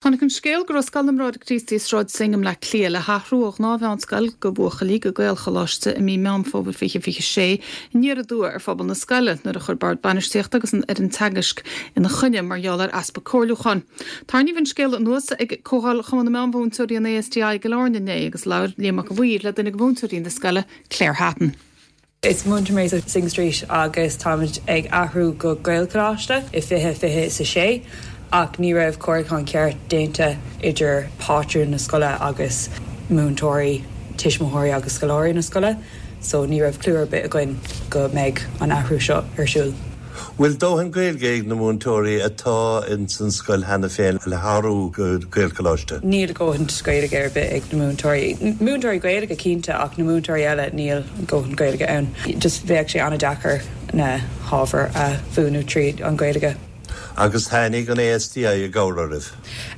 Tháinig an scéal go raibh Scoil na mBráithre Críostaí i Sráid Synge i mBleá Cliath le hathrú ó ghnáthmheánscoil do bhuachaillí go Gaelcholáiste i mí Meán Fómhair 2026 aniar aduaidh ar phobal na scoile nuair a chuir Bord Bainistíochta agus an fhoireann teagaisc ina choinne mar gheall ar easpa comhairliúcháin. Tarraingíodh an scéal anuas ag Comhdháil Chumann na Meánmhúinteoirí an ASTI i gCill Airne inné agus labhair Liam Mac a' Mhaoir le duine de mhúinteoirí na scoile, Claire Hatton. Is múinteoir mé sa Synge Street agus táimid ag athrú go Gaelcholáiste i 2026 ach ní raibh comhairliúchán ceart déanta idir pátrún na scoile agus múinteoirí, tuismitheoirí agus scoláirí na scoile so ní raibh clue ar bith againn go mbeidh an athrú seo ar siúl. Bhfuil dóthain Gaeilge ag na múinteoirí atá ins an scoil cheana féin le hathrú go Gaelcholáiste? Níl dóthain Gaeilge ar bith ag na múinteoirí. Múinteoirí Gaeilge cinnte ach na múinteoirí eile níl dóthain Gaeilge ann. Just bheadh sé an-deacair na hábhair a mhúineadh tríd an Ghaeilge. Agus tháinig an ASTI i gcabhair oraibh?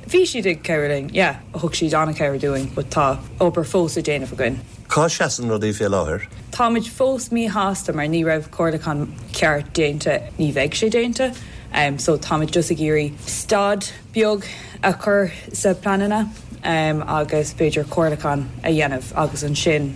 Bhí siad ag cabhrú linn, yeah. Thug siad an-chabhair dúinn but tá obair fós le déanamh againn. Cá seasann rudaí fé láthair? Táimid fós míshásta mar ní raibh comhairliúchán ceart déanta, ní bheidh sé déanta so táimid just ag iarraidh stad beag a chur sa pleananna agus b'fhéidir comhairliúchán a dhéanamh agus ansin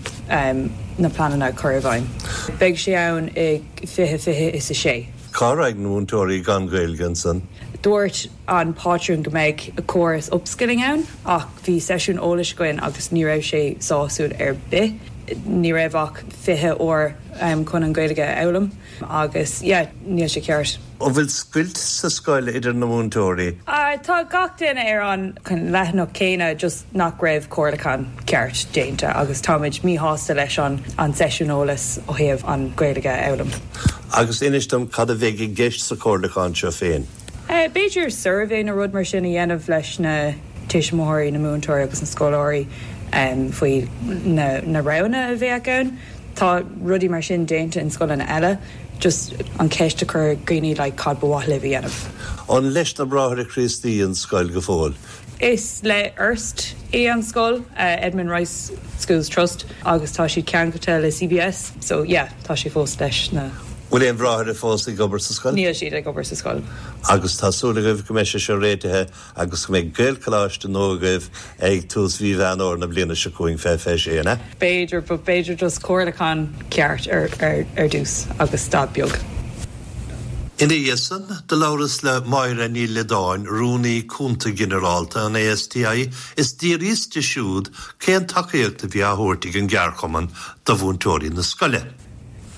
na pleananna a chur i bhfeidhm. Beidh sé ann i 2026. Cá raghaidh na múinteoirí gan Gaeilge ansan? Dúirt an pátrún go mbeidh córas upskilling ann ach bhí seisiún eolais againn agus ní raibh sé sásúil ar bith. Ní raibh ach 20 uair chun an Ghaeilge a fhoghlaim agus yeah, níl sé ceart. An bhfuil scoilt sa scoil idir na múinteoirí? Tá gach duine ar an leathanach céanna just nach raibh comhairliúchán ceart déanta agus táimid míshásta leis an an seisiún eolais ó thaobh an Ghaeilge a fhoghlaim. Agus inis dom cad a bheidh i gceist sa chomhairliúchán seo féin? B'fhéidir suirbhé nó rud mar sin a dhéanamh leis na tuismitheoirí, na múinteoirí agus na scoláirí faoi na roghanna a bheadh ann. Tá rudaí mar sin déanta in scoileanna eile, just an cheist a chur ar dhaoine like cad ba mhaith libh a dhéanamh. An leis na Bráithre Críostaí an scoil go fóill? Is le ERST é an scoil, Edmund Rice Schools Trust, agus tá siad ceangailte le CBS, so yeah, tá sé fós leis na. Bhfuil aon bhráithre fós ag obair sa scoil? Níl siad ag obair sa scoil. Agus tá súil agaibh go mbeidh sé seo réitithe agus go mbeidh Gaelcholáiste nua agaibh ag tús mhí Mheán Fhómhair na bliana seo chugainn, 2026, an ea? B'fhéidir, but b'fhéidir just comhairliúchán ceart ar ar dtús agus stad beag. Ina dhiaidh san, do labhras le Máire Ní Loideáin, Rúnaí Cúnta Ginearálta an ASTI, is d'fhiafraíos di siúd cén tacaíocht a bhí á thabhairt ag an gceardchumann do mhúinteoirí na scoile.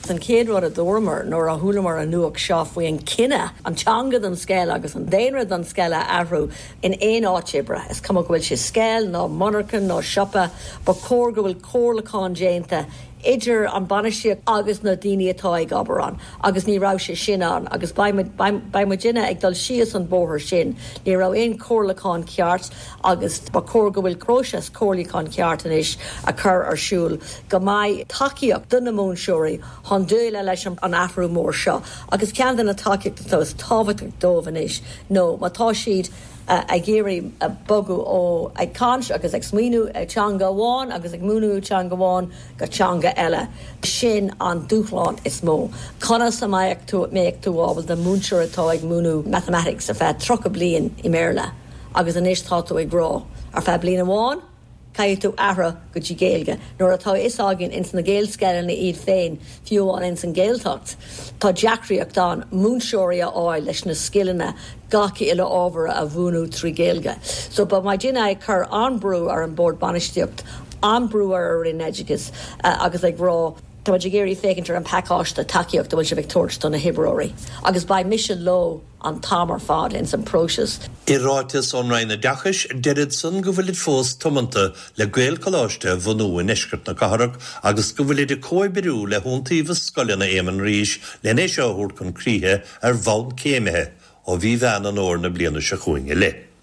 An chéad rud a dúramar nuair a chualamar an nuacht seo faoi an cinneadh an teanga don scoil agus an daonra don scoil a athrú in aon áit oibre, is cuma go bhfuil sé scoil nó monarcha nó siopa, ba chóir go bhfuil comhairliúchán déanta idir an bainistíocht agus na daoine atá ag obair ann agus ní raibh sé sin ann agus beidh beidh muidinne ag dul síos an bóthar sin. Ní raibh aon chomhairliúchán ceart agus ba chóir go bhfuil próiseas comhairliúchán ceart anois a chur ar siúl go mbeidh tacaíocht do na múinteoirí chun déileáil leis an athrú mór seo agus ceann de na tacaíochtaí atá is tábhachtach dóibh anois nó má tá siad ag iarraidh bogadh ó ag caint agus ag smaoineamh teanga amháin agus ag múineadh teanga amháin go teanga eile. Sin an dúshlán is mó. Conas a mbeadh tú mbeadh tú ábalta múinteoir atá ag múineadh mathematics ar feadh 30 bliain i mBéarla agus anois tá tú ag rá ar feadh bliain amháin caithfidh tú athrú go dtí Gaeilge nuair atá a fhios againn ins na Gaelscoileanna iad féin, fiú amháin ins an Ghaeltacht, tá deacraíocht ann múinteoirí a fháil leis na scileanna gach uile ábhar a mhúineadh trí Ghaeilge. So beidh muidinne ag cur an-brú ar an Bord Bainistíocht, an-brú ar an Roinn Oideachais agus ag rá, tá muid ag iarraidh féachaint ar an pacáiste tacaíocht a bhfuil sibh ag tabhairt do na hoibreoirí agus beidh mise leo. an t-am ar fad ins an próiseas. I ráiteas ón Roinn Oideachais, deirid san go bhfuilid fós tiomanta le Gaelcholáiste a bhunú i ndeisceart na cathrach agus go bhfuilid ag comhoibriú le hIontaobhas Scoileanna Éamann Rís len é seo a thabhairt chun críche ar bhonn céimithe ó mhí Mheán an Fhómhair na bliana seo chugainn i leith.